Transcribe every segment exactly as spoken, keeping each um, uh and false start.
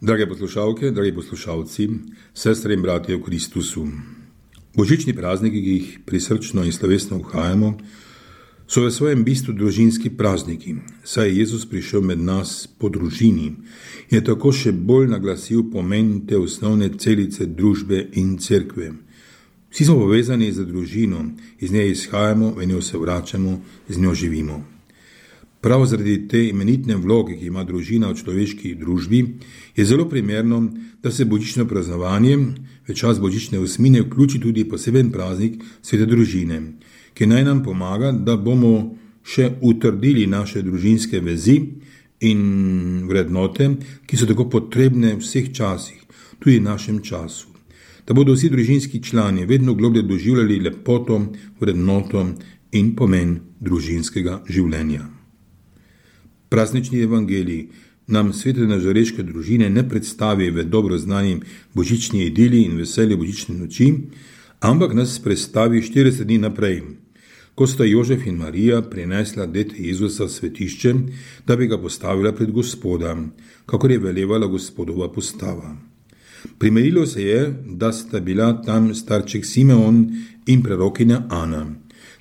Drage poslušalke, dragi poslušalci, sestre in bratje v Kristusu. Božični prazniki, ki jih prisrčno in slovesno obhajamo, so v svojem bistvu družinski prazniki, saj je Jezus prišel med nas po družini in je tako še bolj naglasil pomen te osnovne celice družbe in cerkve. Vsi smo povezani z družino, iz nje izhajamo, v njo se vračamo, z njo živimo. Prav zaradi te imenitne vloge, ki ima družina v človeški družbi, je zelo primerno, da se božično praznovanje v čas božične osmine vključi tudi poseben praznik svete družine, ki naj nam pomaga, da bomo še utrdili naše družinske vezi in vrednote, ki so tako potrebne v vseh časih, tudi v našem času. Da bodo vsi družinski člani vedno globlje doživljali lepoto, vrednoto in pomen družinskega življenja. Praznični evangelij nam svete nazareške družine ne predstavi v dobro znanim božični idili in veselje božične noči, ampak nas predstavi štirideset dni naprej, ko sta Jožef in Marija prinesla dete Jezusa v svetišče, da bi ga postavila pred Gospoda, kakor je velevala Gospodova postava. Primerilo se je, da sta bila tam starček Simeon in prerokinja Ana,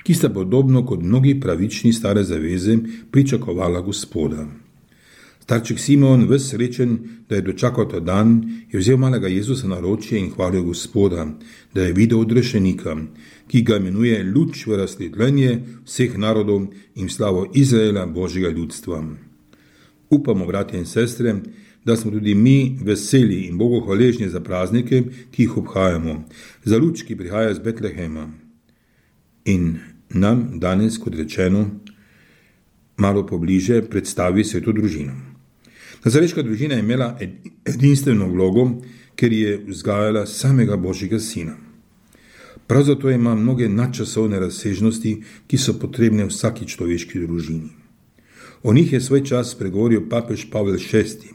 ki sta podobno kot mnogi pravični stare zaveze pričakovala Gospoda. Starček Simeon, ves srečen, da je dočakal ta dan, je vzel malega Jezusa na ročje in hvalil Gospoda, da je videl odrešenika, ki ga imenuje luč v razsvetljenje vseh narodov in slavo Izraela, Božjega ljudstva. Upamo, bratje in sestre, da smo tudi mi veseli in Bogu hvaležni za praznike, ki jih obhajamo, za luč, ki prihaja iz Betlehema. In nam danes, kot rečeno, malo pobliže predstavi sveto družino. Nazareška družina je imela edinstveno vlogo, ker je vzgajala samega Božjega sina. Prav zato ima mnoge nadčasovne razsežnosti, ki so potrebne vsaki človeški družini. O njih je svoj čas spregovoril papež Pavel šesti,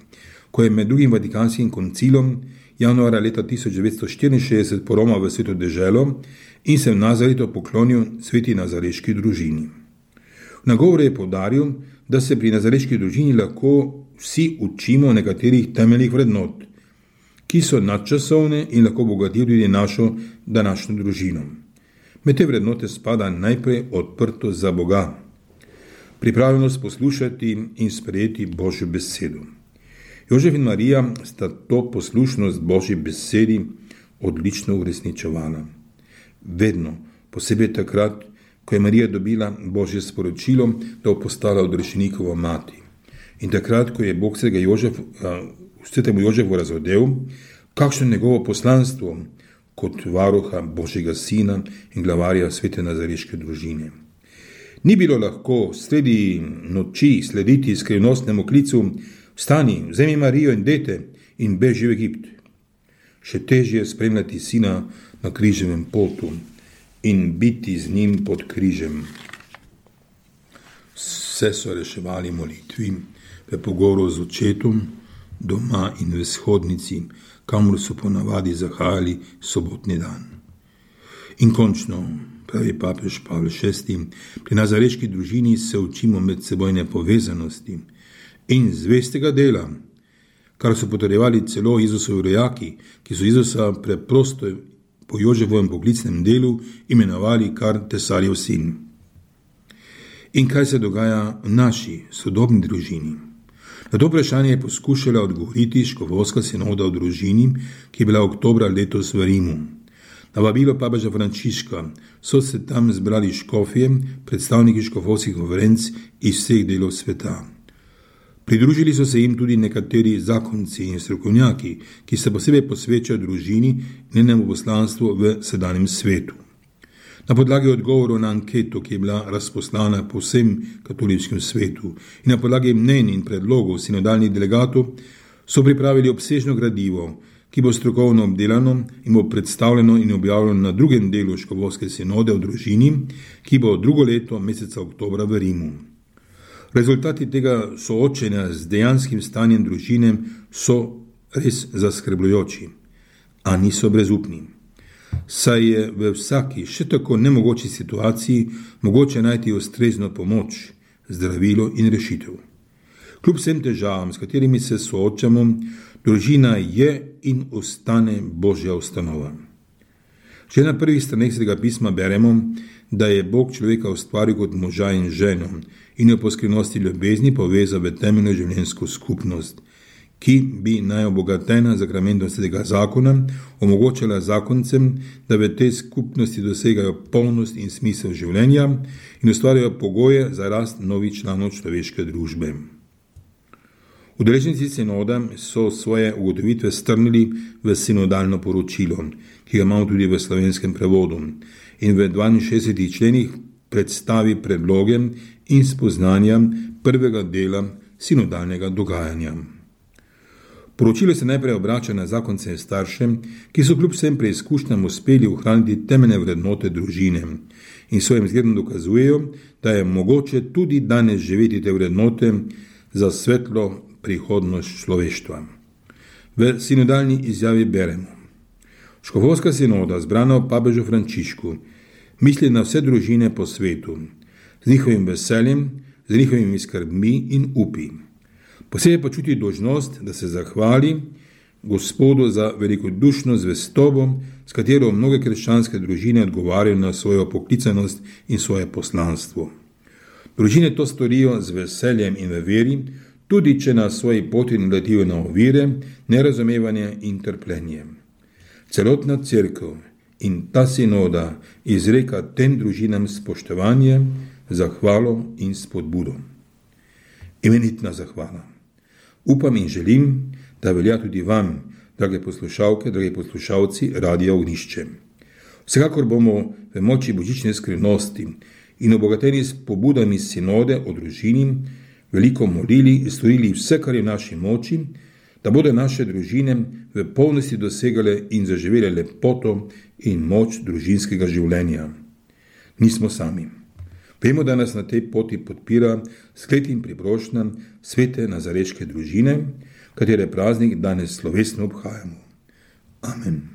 ko je med drugim Vatikanskim koncilom januarja leta tisoč devetsto štiriinšestdeset poromal v sveto deželo in se v Nazaretu poklonil sveti nazareški družini. V nagovoru je poudaril, da se pri nazareški družini lahko vsi učimo nekaterih temeljnih vrednot, ki so nadčasovne in lahko bogatijo tudi našo današnjo družino. Med te vrednote spada najprej odprtost za Boga, pripravljenost poslušati in sprejeti Božjo besedo. Jožef in Marija sta to poslušnost Božji besedi odlično uresničevala. Vedno, posebej takrat, ko je Marija dobila Božje sporočilo, da bo postala odrešenikova mati. In takrat, ko je Bog svetega Jožef, svetemu Jožefu razodel, kakšno njegovo poslanstvo kot varuha Božjega sina in glavarja svete nazareške družine. Ni bilo lahko sredi noči slediti skrivnostnemu klicu: vstani, vzemi Marijo in dete in beži v Egipt. Še težje je spremljati sina na križevem potu in biti z njim pod križem. Vse so reševali molitvi v pogovoru z očetom, doma in v shodnici, kamor so ponavadi zahajali sobotni dan. In končno, pravi papež Pavel šesti, pri nazareški družini se učimo medsebojne povezanosti in zvestega dela, kar so potrjevali celo Jezusovi rojaki, ki so Jezusa preprosto po Jožefovem poklicnem delu imenovali kar tesarjev sin. In kaj se dogaja v naši sodobni družini? Na to vprašanje je poskušala odgovoriti škofovska sinoda v družini, ki je bila oktobra letos v Rimu. Na vabilo papeža Frančiška so se tam zbrali škofje, predstavniki škofovskih konferenc iz vseh delov sveta. Pridružili so se jim tudi nekateri zakonci in strokovnjaki, ki se posebej posvečajo družini in njenemu poslanstvu v sedanjem svetu. Na podlagi odgovorov na anketo, ki je bila razposlana po vsem katoliškem svetu, in na podlagi mnenj in predlogov sinodalnih delegatov, so pripravili obsežno gradivo, ki bo strokovno obdelano in bo predstavljeno in objavljeno na drugem delu škofovske sinode v družini, ki bo drugo leto meseca oktobra v Rimu. Rezultati tega soočenja z dejanskim stanjem družine so res zaskrbljujoči, a niso brezupni. Saj je v vsaki še tako nemogoči situaciji mogoče najti ustrezno pomoč, zdravilo in rešitev. Kljub vsem težavam, s katerimi se soočamo, Družina je in ostane Božja ustanova. Že na prvih straneh Svetega pisma beremo, da je Bog človeka ustvaril kot moža in ženo in jo po skrivnosti ljubezni povezal v temeljno življenjsko skupnost, ki bi najobogatena zakramentom Svetega zakona omogočala zakoncem, da v tej skupnosti dosegajo polnost in smisel življenja in ustvarjajo pogoje za rast novih članov človeške družbe. Udeleženci sinoda so svoje ugotovitve strnili v sinodalno poročilo, ki ga imamo tudi v slovenskem prevodu, in v dvainšestdesetih členih predstavi predloge in spoznanja prvega dela sinodalnega dogajanja. Poročilo se najprej obrača na zakonce in starše, ki so kljub vsem preizkušnjam uspeli ohraniti temeljne vrednote družine in svojim zgledom dokazujejo, da je mogoče tudi danes živeti te vrednote za svetlo prihodnost človeštva. V sinodalni izjavi beremo: Škofovska sinoda, zbrana v papežu Frančišku, misli na vse družine po svetu, z njihovim veseljem, z njihovimi skrbmi in upi. Posebej pa čuti dolžnost, da se zahvali Gospodu za velikodušno zvestobo, s katero mnoge krščanske družine odgovarjajo na svojo poklicanost in svoje poslanstvo. Družine to storijo z veseljem in v veri, tudi če na svoji poti naletijo na ovire, nerazumevanje in trpljenje. Celotna cerkev in ta sinoda izreka tem družinam spoštovanje, zahvalo in spodbudo. Imenitna zahvala. Upam in želim, da velja tudi vam, drage poslušalke, dragi poslušalci Radia Ognjišče. Vsekakor bomo v moči božične skrivnosti in obogateni s pobudami sinode o družini veliko molili in storili vse, kar je v naši moči, da bodo naše družine v polnosti dosegale in zaživele lepoto in moč družinskega življenja. Nismo sami. Vemo, da nas na tej poti podpira skled in priprošnja svete nazareške družine, katere praznik danes slovesno obhajamo. Amen.